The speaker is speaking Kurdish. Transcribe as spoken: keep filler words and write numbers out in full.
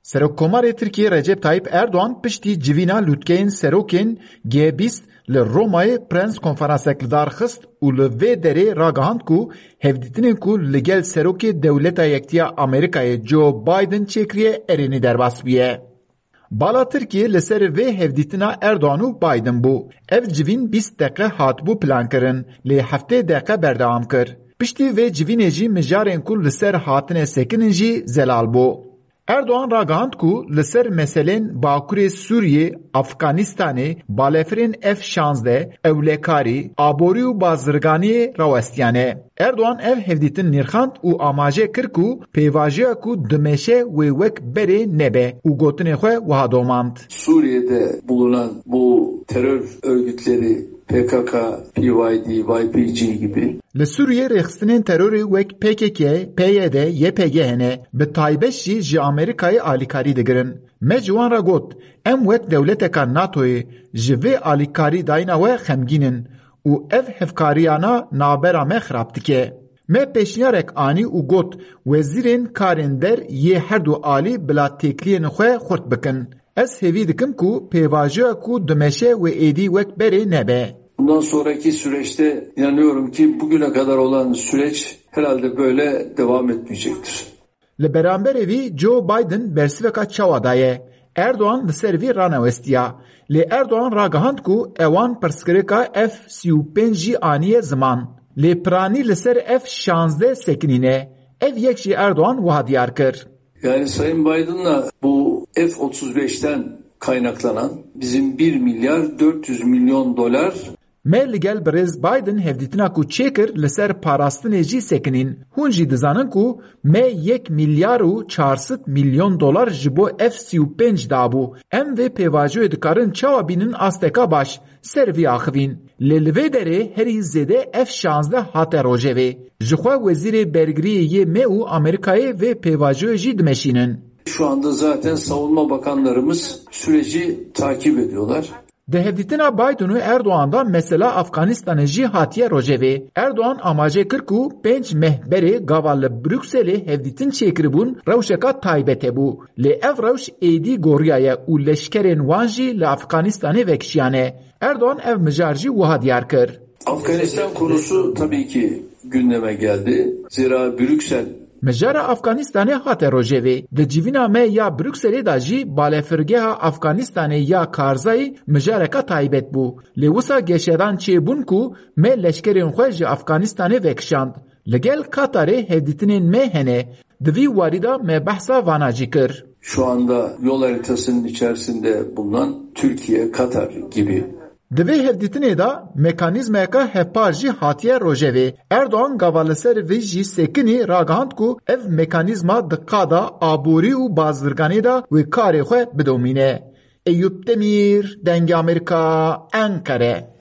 Serokkomarê Tirkiyê Recep Tayyip Erdoğan piştî civîna lûtkeyên serokên G bîst li Romayê prens konferansek li dar xist û li vê derê ragihand ku hevdîtinên ku li gel serokê Dewleta Yektiya Amerîkayê Joe Biden çêkiriye erênî derbas bûye. Bala Tirkiyê li ser vê hevdîtina Erdoğan û Biden bû. Ev civîn bîst deqe hatibû plankirin, lê heftê deqe berdewam kir. Piştî vê civînê jî mijarên ku li ser hatine sekinin jî zelal bû. Erdoğan ragihand ku li ser meselên Bakurê Sûriyê, Afganistanê, balefirên F şazdeh, ewlekarî, aborî û bazirganiyê rawestiyane. Erdoğan ev hevdîtin nirxand û amaje kir ku pêvajoya ku dimeşe wê wek berê nebe û gotinê xwe wiha domand. Suriye'de bulunan bu terör örgütleri P K K, P Y D, Y P G gibi. Li Sûriyê rêxistinên terorê wek P K K, P Y D, Y P G hene, bi taybet jî ji Amerîkayê alîkarî digirin. Me ji wan re got, em wek dewleteka NATOyê ji vê alîkarî dayîna we xemgîn in û ev hevkariyana navbera me xirab dike. Me pêşniyarek anî û got, wezîrên karên der yê her du alî bila têkiliyên xwe xurt bikin. Ez hêvî dikim ku pêvajoya ku dimeşe wê êdî wek berê nebe. Bundan sonraki süreçte inanıyorum ki bugüne kadar olan süreç herhalde böyle devam etmeyecektir. Li beramberê vî Joe Biden bersiveka çawa daye. Erdoğan li ser vî ranewestiya. Lê Erdoğan ragihand ku ewan pirsgirêka F sî û pênc jî aniye ziman. Lê piranî li ser F şazdeh sekinîne. Ev yek jî Erdoğan wiha diyar kir. Yani Sayın Biden'la bu F otuz beşten kaynaklanan bizim bir milyar dört yüz milyon dolar. Me li gel birêz Biden hevdîtina ku çêkir li ser parastinê jî sekinîn. Hûn jî dizanin ku me yek milyar û çar sed milyon dolar ji bo F sî û pênc dabû. Em vê pêvajoyê dikarin çawa bînin asteka baş ser vî axivîn. Lê li vê derê herî zêde F şazdeh hate rojevê. Jixwe wezîrê bergiriyê yê me û Amerîkayê vê pêvajoyê jî dimeşînin. Şu anda zaten savunma bakanlarımız süreci takip ediyorlar. Di hevdîtina Biden û Erdoğan de mesela Afganistanê jî hatiye rojevê. Erdoğan amaje kir ku pênc meh berê gava li Brukselê hevdîtin çêkiribûn rewşeka taybet hebû. Lê ev rewş êdî goriyaye û leşkerên wan jî li Afganistanê vekişiyane. Erdoğan ev mijar jî wiha diyar kir. Afganistan konusu tabii ki gündeme geldi. Zira Brüksel Mijara Afganistanê hate rojevê. Di civîna me ya Brukselê de jî balefirgeha Afganistanê ya Karzayî mijareka taybet bû. Lê wisa geşedan çêbûn ku me leşkerên xwe ji Afganistanê vekişand. Li gel Katarê hevdîtinên me hene. Di vî warî de me behsa vana jî kir. Şu anda yol haritasının içerisinde bulunan Türkiye, Katar gibi. Di vê hevdîtinê de mekanîzmayeka hevpar jî hatiye rojevê. Erdoğan gava li ser vê jî sekinî ragihand ku ev mekanîzma di qada aborî û bazirganê de wê karê xwe bidomîne. Eyûp Demîr, Dengê Amerîka, Enqere.